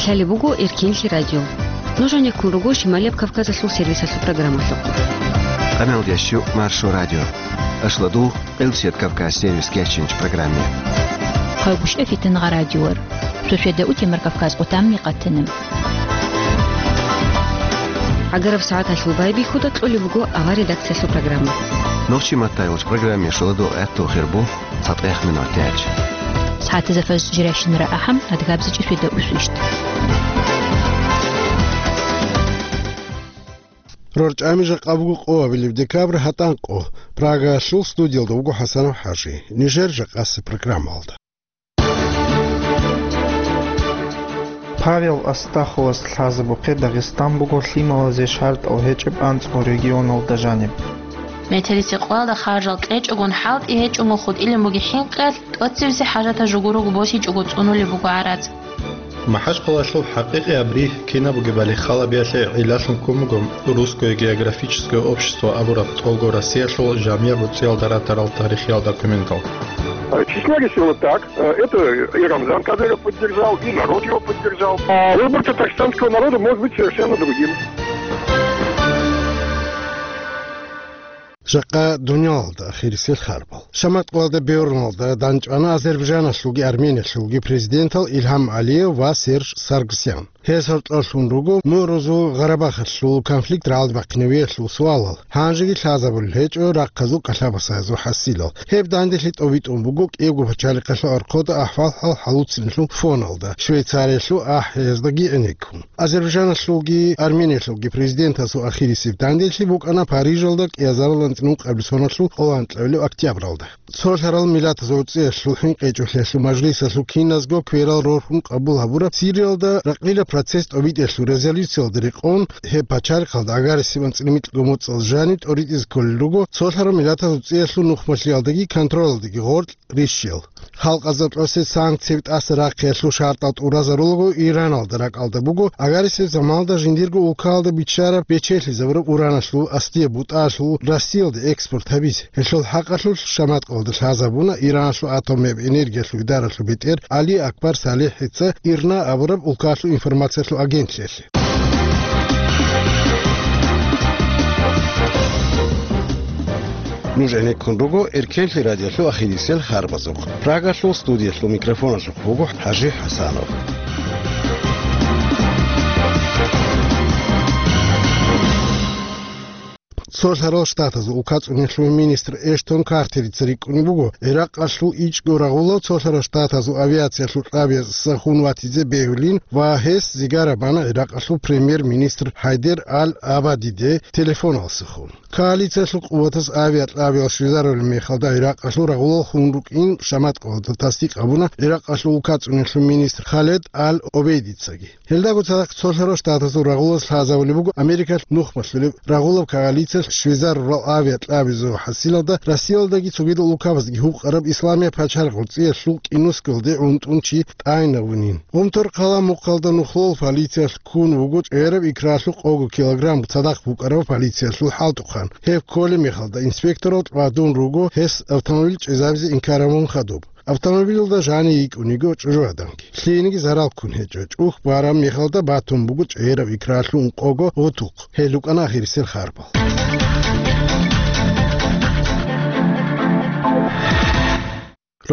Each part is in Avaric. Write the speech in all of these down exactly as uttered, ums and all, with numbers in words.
Гьале буго Эркенлъи радио. Нуж гӀенеккун руго Шималияб Кавказалъул сервисалъул программалъухъ. Къамел ящу Маршо радио. Ашладу Къилсият Кавказ сервис кечинч программе. Хъайгуща фитин гъа радиор. Шошеда утемар Кавказ къутамни къатиним. Агараб сагӀаталъул байбихьуда кьолеб буго ава редакциялъул программа. Нохчи маттайулч программе шуладу гӀатту хирбу. ЦатӀех минутач. СагӀатазда фаз жиращинара ахӀам, адгабзичӀи фида усвищт. РорчӀами жакъа буго къо абилеб декабрь гьатӀан къо. Прагаялъул студиялда вуго ХӀасанов ХӀажи. Нижер жакъасеб программалда. Павел Астаховас лъазабухъе Дагъистан буго лъималазе шартӀал гьечӀеб анцӀго регионалда жаниб. Метерисекъоялда харжал кьечӀогун хӀалтӀи гьечӀого хутӀилин буги хӀинкъиялъ, тӀоцебизе хӀажатаб жугурого босичӀого цӀунулеб буго гӀарац. МахӀачхъалалъул хӀакъикъияб ригь кинаб бугебали халабиялъе гӀиллалъун ккун буго Русское географическое общество абураб тӀолго Россиялъул жамигӀ буцӀиялда ратарал тарихиял документал. Э, числа решила так. Э, это и Рамзан Кадыров поддержал, и народ его поддержал. А выбор татарстанского народа может быть совершенно другим. Жакъа дуниялалда ахирисел харбал. Шаматкъалда бегьурлалда данчӀвана Азербайджаналъулги Армениялъулги президентал Илгьам Алиев ва Серж Саргсян. Гьез гьоркьорлъун руго Мугьрузул Гъарабахалъул конфликт рагӀалде бахъинавиялъул суалал, гьанжеги лъазабулел гьечӀо рахъазул кӀалъабасазул хӀасилал. Гьеб данделъи тӀобитӀун буго кӀиябго пачалихъалъул архъода ахӀвал-хӀал хӀалуцинелъул фоналда, Швейцариялъул ахӀияздаги гӀенеккун. Азербайджаналъулги Армениялъулги президентасул ахирисеб данделъи букӀана Парижалда кӀиазарал анцӀила ункъабилеб соналъул къоло анкьабилеб октябралда. Цолъарал Миллатазул ГӀуцӀиялъул ХӀинкъичӀолъиялъул мажлисалъул киназго кверал рорхун къабул гьабураб Сириялда ракъилаб процесс тӀобитӀиялъул резолюциялда рекъон, гьеб пачалихъалда агьарисеб анцӀила микьго моцӀалъ жаниб тӀоритӀизе кколел руго, цолъарал Миллатазул ГӀуцӀиялъул нухмалъиялдаги контролалдаги гъоркь рищел. Халкъазда тӀосе санкцияби тӀаса рахъиялъул шартӀал тӀуразарулаго Ираналда ракӀалда буго, агьарисеб заманалда жиндирго улкаялда биччараб бечелъизабураб ураналъул асдияб бутӀаялъул Россиялде экспорт гьабизе. Гьелъул хӀакъалъулъ Шаматкъалда лъазабуна Ираналъул атомияб энергиялъул идаралъул бетӀер Али Акбар Салихица ИРНА абураб улкаялъул информациялъул агентлъиялъе. Нуж гӀенеккун руго Эркенлъи радиолъул ахирисел харбазухъ. Прагалъул студиялъул микрофоналъухъ вуго ХӀажи ХӀасанов. Цолъарал Штатазул улкацӀунелъул министр Эштон Картерица рикӀкӀунеб буго, Иракъалъул ичӀго рагъулав Цолъарал Штатазул авиациялъул кьабияз сахун ватизе бегьулин ва гьес зигара бана Иракъалъул премьер-министр ХӀайдер Ал-Абадиде телефонал сахун. Коалициялъул къуватаз авиакьабиял щвезарулеб мехалда Иракъалъул рагъулал хун рукӀин Шаматкъалда тасдикъ гьабуна Иракъалъул улкацӀунелъул министр Халед Ал-Обейдицаги. Гьелдаго цадахъ Цолъарал Штатазул рагъулаз лъазабулеб буго Америкалъ нухмалъулеб рагъулаб коалициялъ щвезарурал авиакьабизул хӀасилалда Россиялдаги цогидал улкабаздаги гьукъараб Исламияб пачалихъ ГӀуцӀиялъул кӀинусгалде гӀунтӀун чи тӀайнавунин. Гъумторхъала мухъалда нухлул полициялъ ккун вуго чӀегӀераб икралъул къого килограмм цадахъ букӀараб полициялъул хӀалтӀухъан. Гьеб кколеб мехалда инспекторал тӀвадун руго гьес автомобиль чӀезабизе инкар гьабун хадуб. Автомобилалда жанив йикӀун йиго чӀужугӀаданги. Лъиениги зарал ккун гьечӀо. ЧӀухь бараб мехалда батун буго чӀегӀераб икралъул ункъого гъутухъ. Гьел рукӀана ахирисел харбал.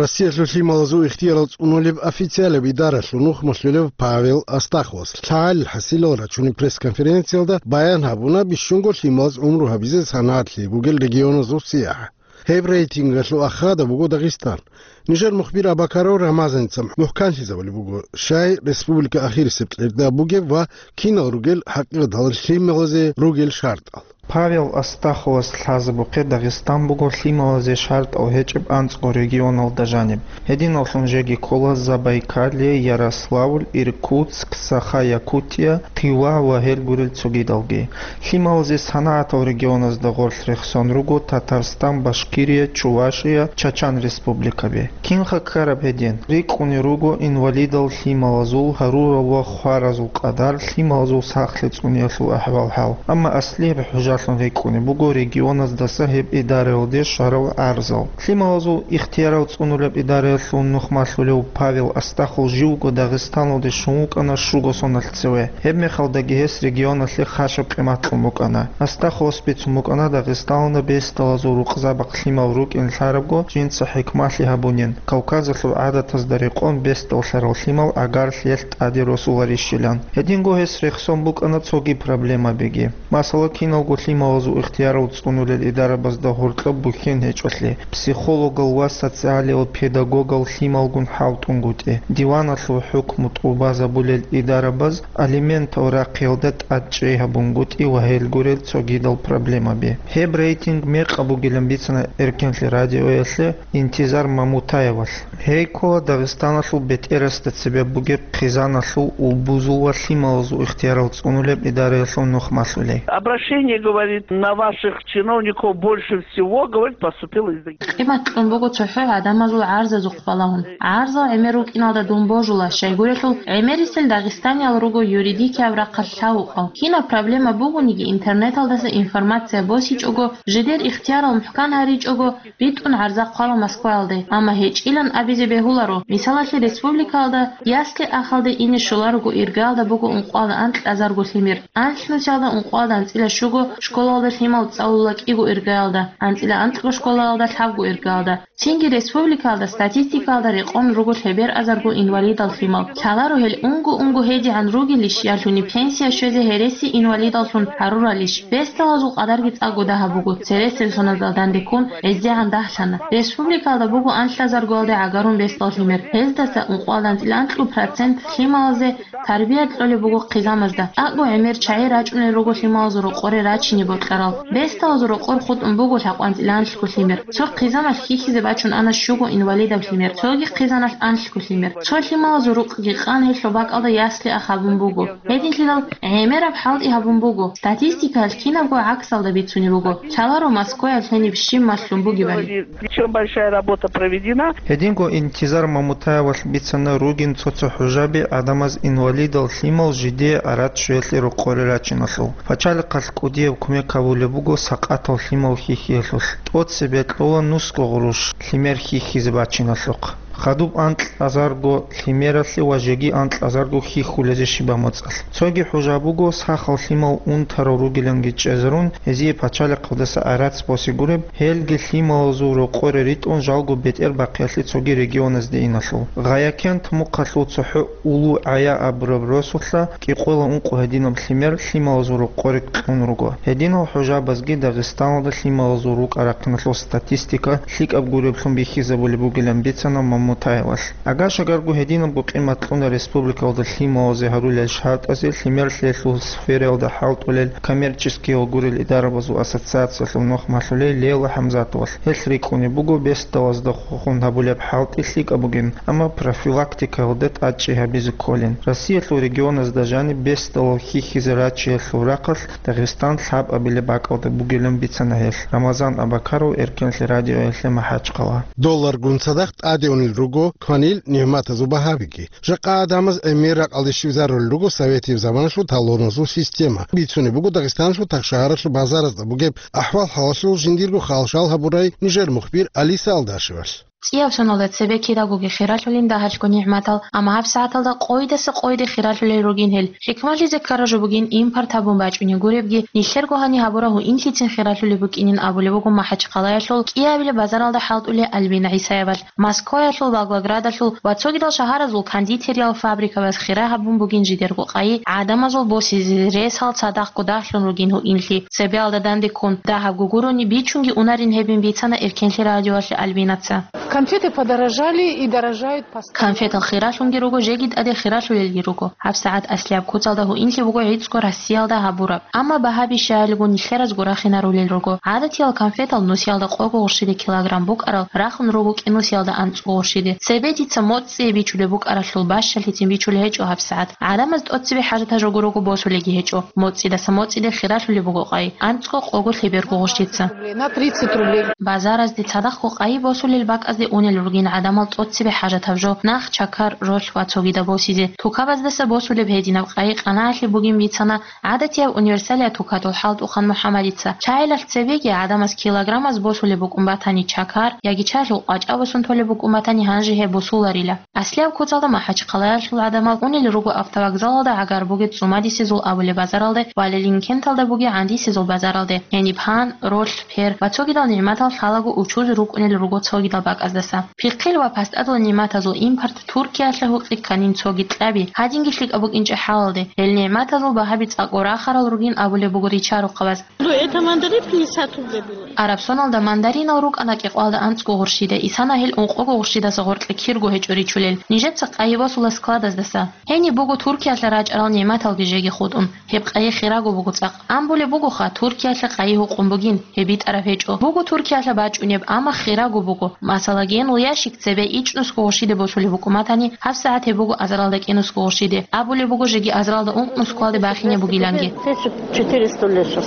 Россиялъул лъималазул ихтиярал цӀунулеб официалаб идаралъул нухмалъулев Павел Астаховас лъагӀалил хӀасилал рачунеб пресс-конференциялда баян гьабуна бищунго лъималаз гӀумру гьабизе санагӀат лъей бугел регионазул сияхӀ. Гьеб рейтингалъул ахада буго Дагъистан. Нижер мухбир Абакаров Рамазаница мухӀканлъизабулеб буго, щай республика ахирисеб кьерда бугеб ва кинал ругел хӀакъикъаталда лъималазе ругел шартӀал. Павел Астаховас лъазабухъе Дагъистан буго лъималазе шартӀал гьечӀеб анцӀго регионалда жаниб. Гьединаллъун жеги ккола Забайкалье, Ярославль, Иркутск, Саха-Якутия, Тыва ва гьел гурел цогидалги. Лъималазе санагӀатал регионазда гъорлъ рехсон руго Татарстан, Башкирия, Чувашия, Чачан республикаби. Кинха ккараб гьедин? РикӀкӀунел руго инвалидал лъималазул гьарурал ва хваразул къадар, лъималазул сахлъи цӀуниялъул ахӀвал-хӀал. Амма аслияб хӀужалъун рикӀкӀунеб буго регионаздаса гьеб идараялде щварал гӀарзал. Лъималазул ихтиярал цӀунулеб идараялъул нухмалъулев Павел Астахов живго Дагъистаналде щун вукӀана щуго соналъ цеве. Гьебмехалдаги гьес регионалъе хъащаб къимат кьун букӀана. Астаховас бицун букӀана Дагъистаналда бесдалазул рукъзабахъ лъимал рукӀин лъарабго жинца хӀикмалъи гьабунин, Кавказалъул гӀадатазда рекъон бесдаллъарал лъимал гӀагарлъиялъ тӀаде росуларищилан. Гьединго гьес рехсон букӀана цоги проблемабиги. Масала, киналго лъималазул ихтиярал цӀунулел идарабазда гьоркьоб бухьен гьечӀолъи, психологал ва социалиял педагогал лъималгун хӀалтӀунгутӀи, диваналъул хӀукму тӀубазабулел идарабаз алиментал рахъиялда тӀадчӀей гьабунгутӀи ва гьел гурел цогидал проблемаби. Гьеб рейтинг мекъаб бугилан бицана Эркенлъи радиоялъе Интизар Мамутаевалъ. Гьей ккола Дагъистаналъул бетӀерасда цебе бугеб хъизаналъул, улбузул ва лъималазул ихтиярал цӀунулеб идараялъул нухмалъулей. Обращение, говорит, на ваших чиновников больше всего, говорит, поступило из Дагестана. Къимат кьун буго цохӀо гӀадамазул гӀарзазухъ балагьун. ГӀарзал гӀемер рукӀиналда дун божула, щайгурелъул гӀемерисел дагъистаниял руго юридикияб рахъалъ лъавукъал. Кинаб проблема бугониги, интернеталдаса информация босичӀого, жидер ихтиярал мухӀкан гьаричӀого, битӀун гӀарза хъвала Москваялде, амма гьечӀилан абизе бегьуларо. Мисалалъе, республикаялда ясли-ахалде ине щоларого иргаялда буго ункъоялда анкьазарго лъимер, анлънусиялда ункъоялда анцӀила щуго, школалда лъимал цӀалула кӀиго иргаялда, анцӀила анкьго школаялда лъабго иргаялда. Цинги республикаялда статистикаялда рекъон руго лъеберъазарго инвалидал лъимал. Лъаларо гьел унго-унго гьедигӀан ругелищ, ялъуни пенсия щвезе гьереси инвалидаллъун гьаруралищ. Бесдалазул къадарги цӀакъго дагьаб буго, цересел соналдал данде ккун гӀездегӀан дагьлъана. Республикаялда буго анлъазаргоялде гӀагарун бесдал лъимер. Гьездаса ункъоялда анцӀила анкьу процент лъималазе тарбия кьолеб буго хъизамазда. ТӀакӀго гӀемер чагӀи рачӀунел руго лъималазул рокъоре рачине бокьарал. Бесдалазул рокъор хутӀун буго лъабкъоялда анлъго лъимер. Цо хъизамалъ хьихьизе бачун ана щуго инвалидаб лъимер, цоги хъизаналъ анлъго лъимер. Цо лъималазул рукъги къан гьелъул бакӀалда ясли-ахал бун буго. Гьединлъидал гӀемераб хӀалтӀи гьабун буго. Статистикаялъ кинабго гӀаксалда бицунеб буго. Лъаларо Москваялъ гьениб щиб малъун бугебали. Причём большая работа проведена. Гьединго Интизар Мамутаевалъ бицана ругин цо-цо хӀужаби гӀадамаз инвалидал лъимал жидее арат щвеялъе рокъоре рачиналъул. Пачалихъалъ кӀудияб кумек гьабулеб буго сакъатал лъимал хьихьиялъулъ. ТӀоцебе кьола нусго гъурущ лъимер хьихьизе бачиналъухъ. Хадуб анкьазарго лъимералъе ва жеги анкьазарго хьихьулезе щибаб моцӀалъ. Цоги хӀужа буго, сахал лъимал унтарал ругиланги чӀезарун, гьезие пачалихъалдаса гӀарац босе гуреб, гьелги лъималазул рокъоре ритӀун жалго бетӀер бахъиялъе цоги регионазде иналъул. Гъаякент мухъалъул цохӀо Улу ГӀая абураб росулъа кӀикъоялда ункъо гьединаб лъимер лъималазул рокъоре кьун руго. Гьединал хӀужабазги Дагъистаналда лъималазул рукӀа-рахъиналъул статистика лъикӀаб гуреблъун бихьизабулеб бугилан бицана Мамутаевалъ. Агаш-агарго гьединабго къимат кьуна республикалда лъималазе гьарулел шартӀазе лъимерлъиялъул сфераялда хӀалтӀулел коммерческиял гурел идарабазул ассоциациялъул нухмалъулей Лейла ХӀамзатовалъ. Гьелъ рикӀкӀунеб буго бесдалазда хухун гьабулеб хӀалтӀи лъикӀаб бугин, амма профилактикаялда тӀадчӀей гьабизе кколин. Россиялъул регионазда жаниб бесдалал хьихьизе рачиялъул рахъалъ Дагъистан лъабабилеб бакӀалда бугилан бицана гьелъ. Рамазан Абакаров, Эркенлъи радиоялъе, МахӀачхъала. Долларгун цадахъ тӀаде унел руго кванил нигӀматазул багьабиги. Жакъа гӀадамаз гӀемер ракъалде щвезарулел руго советияб заманалъул талоназул система. Бицунеб буго Дагъистаналъул тахшагьаралъул базаразда бугеб ахӀвал-хӀалалъул жиндирго халшал гьабурай нижер мухбир Алиса Алдашевалъ. ЦӀияб соналда цебе кидагоги хиралъулин дагьалъго нигӀматал, амма гьабсагӀаталда къойидаса къойиде хиралъулел ругин гьел. ХӀикмалъизе ккараб жо бугин импорт гьабун бачӀунеб гуребги, нилъерго гьаниб гьабураб гьуинлъицин хиралъулеб букӀинин абулеб буго МахӀачхъалаялъул кӀиабилеб базаралда хӀалтӀулев Альбина ГӀисаевалъ. Москваялъул, Волгоградалъул ва цогидал шагьаразул кондитериял фабрикабаз хира гьабун бугин жидерго къайи, гӀадамазул босизе ресал цадахъго дагьлъун ругин гьуинлъи. Цебеялда данде ккун, дагьабго гурони бичунги унарин гьебин бицана Эркенлъи радиоялъе Альбинаца. Конфеты подорожали и дорожают постоянно. Конфетал хиралъунги руго, жеги тӀаде хиралъулелги руго. ГьабсагӀат аслияб куцалда гьуинлъи буго гӀицӀго Россиялда гьабураб. Амма багьаби щайилго нилъеразго рахинарулел руго. ГӀадатиял конфетал нусиялда къого гъурщиде килограмм букӀарал рахун руго кӀинусиялда анцӀго гъурщиде. Цебе дица моцӀцӀие бичулеб букӀаралъул бащалъицин бичулеб гьечӀо гьабсагӀат. ГӀадамаз тӀоцебе хӀажатаб жо гурого босулелги гьечӀо. МоцӀидаса моцӀиде хиралъулеб буго къайи, анцӀго, къого, лъеберго гъурщица. На тридцать рублей. Базаразде цадахъго къайи босулел бакӀазде унел ругин гӀадамал тӀоцебе хӀажатаб жо, нах, чакар, ролъ ва цогидаб босизе. Тукабаздаса босулеб гьединаб къайи-къанаалъи бугин бицана гӀадатияб универсалияб тукатул хӀалтӀухъан МухӀаммадица. ЧагӀилалъ цебеги гӀадамаз килограммаз босулеб букӀун батани чакар, яги чагьлъул къвачӀа босун толеб букӀун батани, гьанже гьеб босуларила. Аслияб куцалда МахӀачхъалаялъул гӀадамал унел руго автовокзалалда гӀагар бугеб цӀумадисезул абулеб базаралде ва Ленинкенталда бугеб гӀандисезул базаралде. Гьениб гьан, ролъ, пер ва цогидал нигӀматал лъалаго учузе рукӀунел руго цогидал бакӀаздаса. Пихъил ва пастадул нигӀматазул импорт Туркиялъа гьукъи кканин цоги кьаби, гьадинги лъикӀаб букӀинчӀеб хӀалалде, гьел нигӀматазул багьаби цӀакъго рахарал ругин абулеб буго ричарухъабаз. Ну, это мандарин пятьдесят рублей было. Арабсоналда мандаринал рукӀана кӀикъвалда анцӀго гъурщида, исана гьел ункъого гъурщидаса гъоркье кирго гьечӀо ричулел. Нижеца къайи босула складаздаса. Гьениб буго Туркиялъа рачӀарал нигӀматалги жеги хутӀун. Гьеб къайи хираго буго цӀакъ. Амбулеб бугоха, Туркиялъа къайи гьукъун бугин, гьеб битӀараб гьечӀо. Буго Туркиялъа бачӀунеб, амма хираго буго. Масала, генул ящик цебе ичӀнусго гъурщиде босулеб букӀун батани, гьабсагӀат гьеб буго азаралда кӀинусго гъурщиде. Абулеб буго жеги азаралда ункънусгоялде бахине бугиланги. Тысяча четыреста лет сейчас.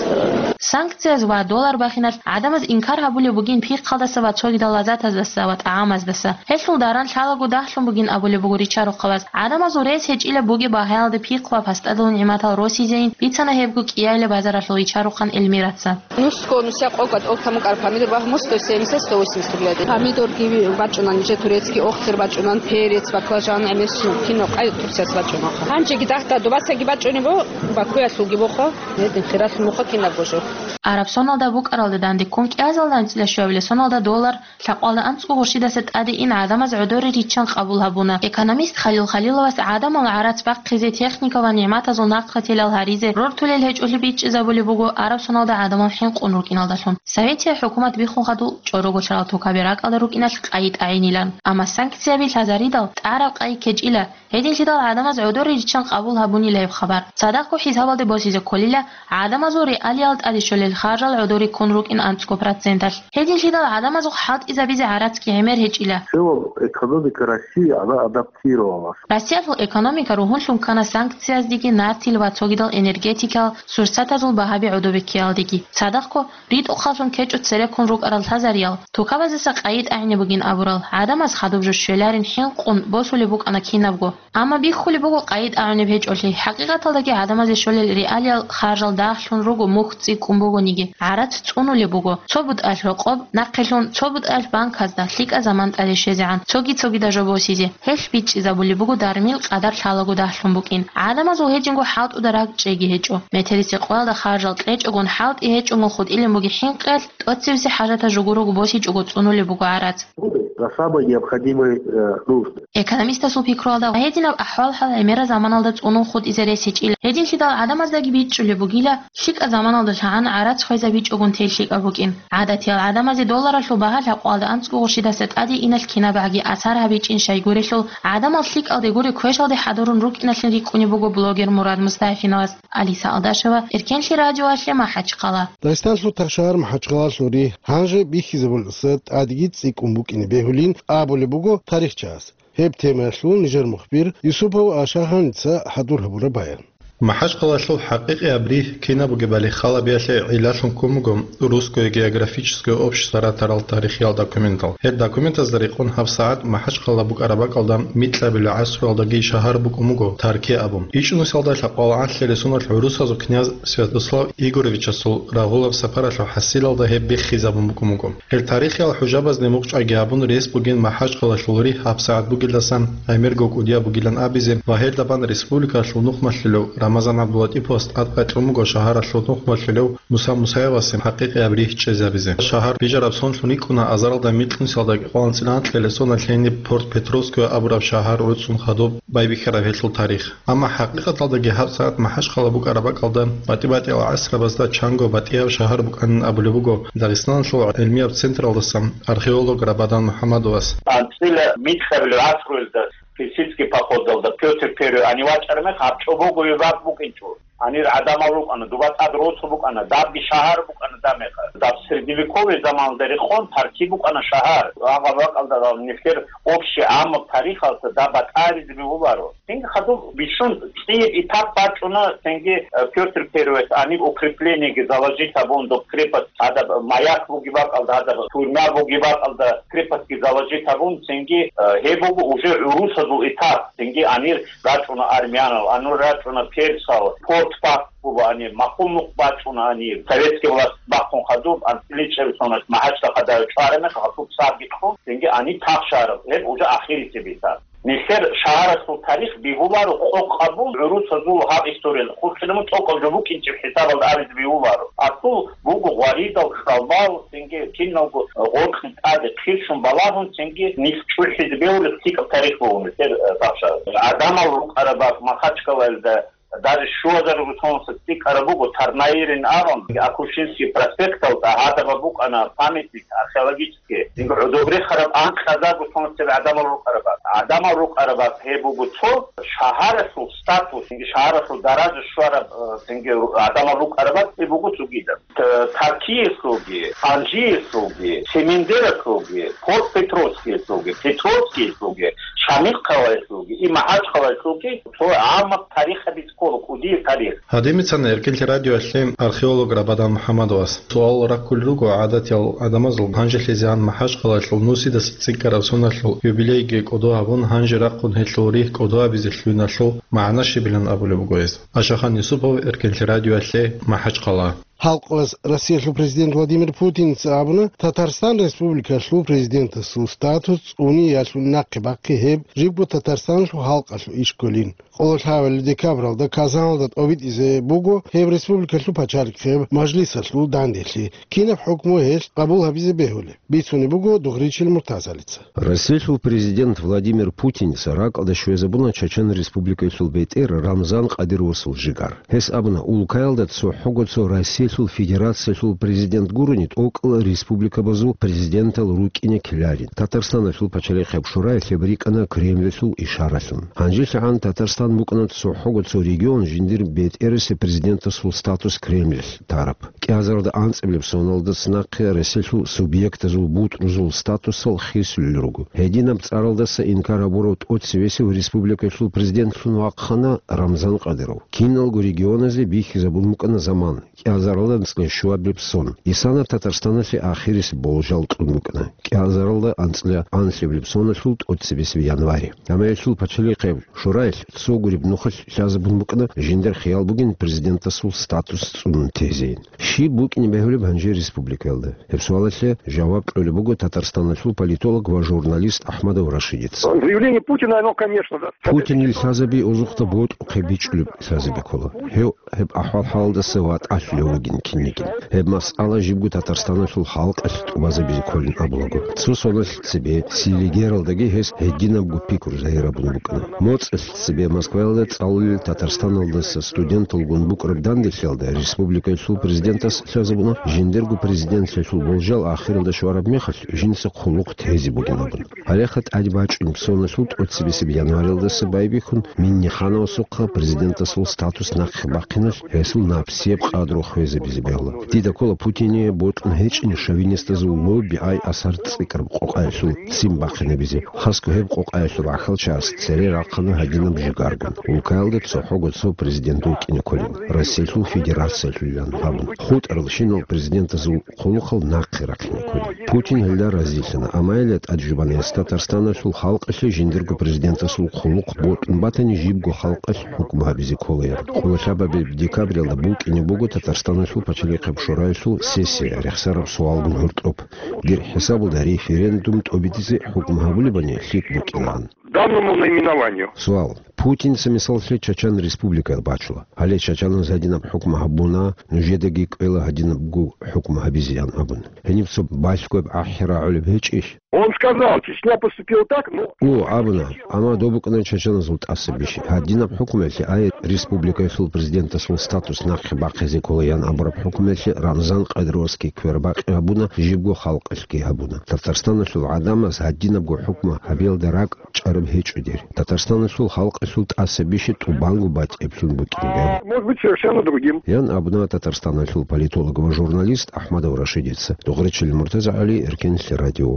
Санкцияз ва доллар бахиналъ гӀадамаз инкар гьабулеб бугин пихъалдаса ва цогидал лаззатаздаса ва тӀагӀамаздаса. Гьелъул даран лъалаго дагьлъун бугин абулеб буго ричарухъабаз. ГӀадамазул рес гьечӀила бугеб багьаялда пихъ ва пастадул нигӀматал росизейин, бицана гьебго кӀиялила базаралъул ричарухъан Эльмираца. Нусго нусиякъого тӀолтамукъар помидор багь, сто семьдесят, сто восемьдесят рублей. Помидорги бачӀунан, нижер турецкий охтер бачӀунан, перец, баклажан, гӀемерщин, кино къай Турцияс бачӀунаха. Гьанжеги дагьда дубасаги бачӀунеб бо, Бакуялъулги бохо, гьедин хиралъун бохо кинабго жо. Арабсоналда букӀаралда дандеккун кӀиазалда анцӀила щуабилеб соналда доллар лъакъвалда анцӀго гъурщидаса тӀаде ин гӀадамаз гӀодоре риччан къабул гьабуна. Экономист Халил Халиловас гӀадамал гӀарац бахъизе, техника ва нигӀматазул нахърателал гьаризе рортулел гьечӀолъи бичӀчӀизабулеб буго арабсоналда гӀадамал хӀинкъун рукӀиналдалъун. Советия хӀукумат биххун хадуб чӀорого лъарал тукаби ракӀалда рукӀиналъ къайи тӀагӀинилан. Амма санкцияби лъазаридал тӀараб къайи ккечӀила. Гьединлъидал гӀадамаз гӀодоре риччан къабул гьабунила гьеб хабар. Цадахъго хӀисабалде босизе кколила, гӀадамазул реалиял тӀаде щолел харжал гӀодоре ккун рукӀин анцӀго проценталъ. Гьединлъидал гӀадамазухъ хӀалтӀизабизе гӀарацги гӀемер гьечӀила. В целом экономика России, она адаптировалась. Россиялъул экономика ругьунлъун ккана санкцияздеги, нартил ва цогидал энергетикал сурсатазул багьаби гӀодобеккиялдеги. Цадахъго ритӀухъаллъун ккечӀо цереккун рукӀарал лъазариял, тукабаздаса къайи тӀагӀине бугин абурал, гӀадамаз хадуб жо щвеларин хӀинкъун босулеб букӀана кинабго. Амма биххулеб буго къайи тӀагӀунеб гьечӀолъи, хӀакъикъаталдаги гӀадамазе щолел реалиял харжал дагьлъун руго мухь цӀикӀкӀун бугониги, гӀарац цӀунулеб буго, цо бутӀаялъ рокъоб, нахъелъун цо бутӀаялъ банказда, лъикӀа заман тӀаде щвезегӀан, цоги-цогида жо босизе. Гьелъ бичӀчӀизабулеб буго дармил къадар лъалаго дагьлъун букӀин. ГӀадамазул гьединго хӀалтӀуда ракӀчӀейги гьечӀо. Метерисекъоялда харжал кьечӀогун, хӀалтӀи гьечӀогун хутӀилин буги хӀинкъиялъ, тӀоцебесеб хӀажаталъ жугурого босичӀого цӀунулеб буго гӀарац. Будут за самые необходимые, э, нужды. Экономистасул пикруялда, гьединаб ахӀвал-хӀал гӀемерал заманалда цӀунун хутӀизе рес гьечӀила. Гьединлъидал гӀадамаздаги бичӀчӀулеб бугила, лъикӀаб заманалда лъагӀан гӀарац хвезабичӀогун тел лъикӀаб букӀин. ГӀадатиял гӀадамазе долларалъул багьа лъабкъоялда анцӀго гъурщидаса тӀаде иналъ кинабгӀаги асар гьабичӀин щайгурелъул, гӀадамал лъикӀалде гуре квешалде хӀадурун рукӀиналъин рикӀкӀунеб буго блогер Мурад Мустафиновас. Алиса Алдашева, Эркенлъи радиоялъе, МахӀачхъала. Дагъистаналъул ташшагьар МахӀачхъалалъул ригь гьанже бихьизабулесда тӀадеги цӀикӀкӀун букӀине бегьулин абулеб буго тарихчияс. Гьеб темаялъул нижер мухбир Юсупов Ашагьаница хӀадур гьабураб баян. МахӀачхъалалъул хӀакъикъияб ригь кинаб бугебали халабиялъе гӀиллалъун ккун буго Русское географическое общество ратарал тарихиял документал. Гьеб документазда рекъон гьабсагӀат МахӀачхъала букӀараб бакӀалда микьабилеб гӀасруялдаги шагьар букӀун буго Тарки абун. ИчӀнусиялда лъабкъоялда анлъила соналъ гӀурусазул князь Святослав Игоровичасул рагъулаб сапаралъул хӀасилалда гьеб биххизабун букӀун буго. Гьел тарихиял хӀужабазде мукъчӀвайги гьабун рес бугин МахӀачхъалалъул ригь гьабсагӀат бугелдасан гӀемерго кӀудияб бугилан абизе ва гьелда бан республикалъул нухмалъулев Рамазан ГӀабдулатӀиповас тӀадкъай кьун буго шагьаралъул нухмалъулев Муса Мусаевасе хӀакъикъияб ригь чӀезабизе. Шагьар бижараб сонлъун рикӀкӀуна азаралда микьнусиялда кӀикъоялда анцӀила анкьила соналъ гьениб Порт-Петровское абураб шагьар гӀуцӀун хадуб байбихьараб гьелъул тарих. Амма хӀакъикъаталдаги гьабсагӀат МахӀачхъала букӀараб бакӀалда батӀи-батӀиял гӀасрабазда чанго батӀияб шагьар букӀанин абулеб буго Дагъистаналъул гӀилмияб централдаса археолог Рабадан МухӀамадовас. АнцӀила микьабилеб гӀасруялда персидский походалда Пётр Первый гьанив вачӀараб мехалъ гьаб чӀобого веб бакӀ букӀинчӀо. Гьанир гӀадамал рукӀана, дуба тӀад росу букӀана, дабги шагьар букӀана дагьаб мехалъ. Даб средневековый заманалда рекъон Тарки букӀана шагьар. Гьаб бакӀалда нилъер общий гӀаммаб тарихалда даб батӀаризе бегьуларо. Цинги хадуб бищун цӀияб этап бачӀуна, цинги, э, Пётр Первый гьаниб укреплениеги заложить гьабун, доб крепость гьадаб маяк бугеб бакӀалда, гьадаб тюрьма бугеб бакӀалда крепостьги заложить гьабун, цинги, э, гьеб буго уже гӀурусазул этап, цинги гьанир рачӀуна армянал, гьанир рачӀуна персал, порт бахъун гьанир, махун нух бачӀуна гьанир, советский власть бахъун хадуб, анцӀила чӀеб соналъ МахӀачда хадув чӀвараб мехалъ, гьасул царги кьун, цинги гьаниб тахшараб, гьеб уже ахирисеб этап. Нилъер шагьарасул тарих бегьуларо къокъ гьабун, гӀурусазул гьаб историяда хурхилабун цӀокӀал жо букӀинчӀеб хӀисабалда абизе бегьуларо. Асул буго гъваридал, кьалбал, цинги киналго гъоркье тӀаде хъирщун балагьун, цинги нилъ чӀухӀизе бегьулеб лъикӀаб тарих буго нилъер, э, тахшарас. ГӀадамал рукӀараб бакӀ Махачкалаялда даже щуазарго соналъ цӀикӀкӀараб буго, Тарнаирин абун, Акушинский проспекталда гьадаб букӀана памятник археологический. Цинги гӀодобрехараб анкьазарго соналъ гӀадамал рукӀараб бакӀ. ГӀадамал рукӀараб бакӀ гьеб буго цо, шагьарасул статус, цинги шагьарасул даража щвараб, э, цинги гӀадамал рукӀараб бакӀ гьеб буго цогидаб. Т-, Таркиялъулги, Анжиялъулги, Семендералъулги, Порт-Петровскиялъулги, Петровскиялъулги, Шамилхъалаялъулги, и МахӀачхъалаялъулги цо гӀаммаб тарихаби ккола, кӀудияб тарих. Гьадинаб цоцазда Эркенлъи радиоялъе археолог Рабадан МухӀаммадовас суал раккулел руго гӀадатиял гӀадамазул гьанжелъизегӀан МахӀачхъалаялъул нусидаса цӀикӀкӀараб соналъул юбилейги кӀодо гьабун, гьанже рахъун гьелъул ригь кӀодо гьабизе лъугьиналъул магӀна щибилан абулеб буго гьес. Ашахан Юсупов, Эркенлъи радиоялъе, МахӀачхъала. Халкъалъ Россиялъул президент Владимир Путинца абуна, Татарстан Республикалъул президентасул статус цӀуниялъул нахъе бахъи гьеб жибго Татарстаналъул халкъалъул иш кколин. Къоло лъабабилеб декабралда Казаналда тӀобитӀизе буго гьеб республикалъул пачалихъеб мажлисалъул данделъи, кинаб хӀукму гьелъ къабул гьабизе бегьулеб, бицунеб буго Дугъричил Муртазалица. Россиялъул президент Владимир Путинца ракӀалде щвезабуна Чачан Республикалъул бетӀер Рамзан Кадыровасул жигар. Гьес абуна, улкаялда цохӀого цо Россиялъул Федерациялъул президент гурони тӀокӀал республикабазул президентал рукӀине ккеларин. Татарстаналъул пачалихъеб шураялъ гьеб рикӀкӀана Кремльалъул ишаралъун. ГьанжелъагӀан Татарстан букӀана цохӀого цо регион жиндир бетӀерасеб президентасул статус Кремльалъ тараб. КӀиазаралда анцӀабилеб соналдаса нахъе Россиялъул субъектазул бутӀрузул статусал хисулел руго. Гьединаб цӀаралдаса инкар гьабурав тӀоцебесев республикалъул президентлъун вахъана Рамзан Кадыров. Киналго регионазе бихьизабун букӀана заман, кӀиазаралда анцӀила щуабилеб сон. Исана Татарстаналъе ахирисеб болжал кьун букӀана, кӀиазаралда анцӀила анлъабилеб соналъул тӀоцебесеб январе. Амма гьелъул пачалихъеб шураялъ цо гуреб нухалъ лъазабун букӀана жиндир хиял бугин президентасул статус цӀунун тезейин. Щиб букӀине бегьулеб гьанже республикаялда? Гьеб суалалъе жаваб кьолеб буго Татарстаналъул политолог ва журналист Ахмадов Рашидица. Заявление Путина, оно, конечно, да. Путинил лъазаби озухъда бокьухъе бичӀчӀулеб лъазаби ккола. Гьев гьеб ахӀвал-хӀалалдаса ватӀалъулев вугин кинигин. Гьеб масъала жибго Татарстаналъул халкъалъ тӀубазабизе кколин абулаго. Цо соналъ цебе Селигералдаги гьес гьединабго пикру загьирабун букӀана. МоцӀалъ цебе Москваялда цӀалулел Татарстаналдаса студенталгун букӀараб данделъиялда республикаялъул президентас лъазабуна, жиндирго президентлъиялъул болжал ахиралда щвараб мехалъ жинца хъулухъ тезе бугин абун. Гьалеха тӀаде бачӀунеб соналъул тӀоцебесеб январалдаса байбихьун Миннихановасухъа президентасул статус нахъе бахъиналъ гьесул напсияб къадру хвезабизе бегьула. Дида ккола Путине бокьун гьечӀин шовинистазул лобби-ай асар цӀикӀкӀараб къокъаялъул ццин бахъинабизе. Хасго гьеб къокъаялъул рахьалчагӀаз цере рахъана гьадинаб жигаргун, улкаялда цохӀого цо президент вукӀине кколин, Россиялъул Федерациялъулилан абун. ХутӀарал щинал президентазул хъулухъал нахъе рахъине кколин. Путин гьелда разилъана, амма гьелда тӀаде жубана гьес Татарстаналъул халкъалъе жиндирго президентасул хъулухъ бокьун батани, жибго халкъалъ хӀукму гьабизе кколаян. Къоло лъабабилеб декабралда букӀине буго Татарстаналъул пачалихъеб шураялъул сессия рехсараб суалгун гьоркьоб. Дир хӀисабалда референдум тӀобитӀизе хӀукму гьабулебани лъикӀ букӀинан. Данному наименованию. Суал. Путинца мисаллъе Чачан Республика бачула. Гьале чачаназ гьадинаб хӀукму гьабуна, нужедаги кӀвела гьадинабго хӀукму гьабизеян абун. Гьениб цо балъгояб ахӀи рагӀулеб гьечӀищ? Он сказал, Чечня поступила так, ну... О, абуна, амма доб букӀана чачаназул тӀаса бищи. Гьадинаб хӀукмуялъе, ай, республикаялъул президентасул статус нахъе бахъизе кколаян абураб хӀукмуялъе Рамзан Кадыровасги квербакъи гьабуна, жибго халкъалъги гьабуна. Татарстаналъул гӀадамаз гьадинабго хӀукму гьабиялда ракӀ чӀараб гьечӀо дир. Татарстаналъул халкъ Лъул тӀаса бише тӀубанго батӀиблъун букӀине. Может быть, совершенно другим. Ян абуна Татарстаналъул политолог ва журналист Ахмадов Рашидица. Дугъричил МуртазагӀали, Эркенлъи радио.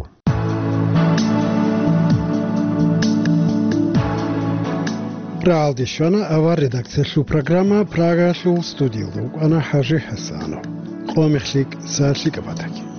РагӀалде щвана авар редакциялъул программа, Прагалъул студиялда вукӀана ХӀажи ХӀасанов. Къо мехлъи, са лъикӀаб батаги.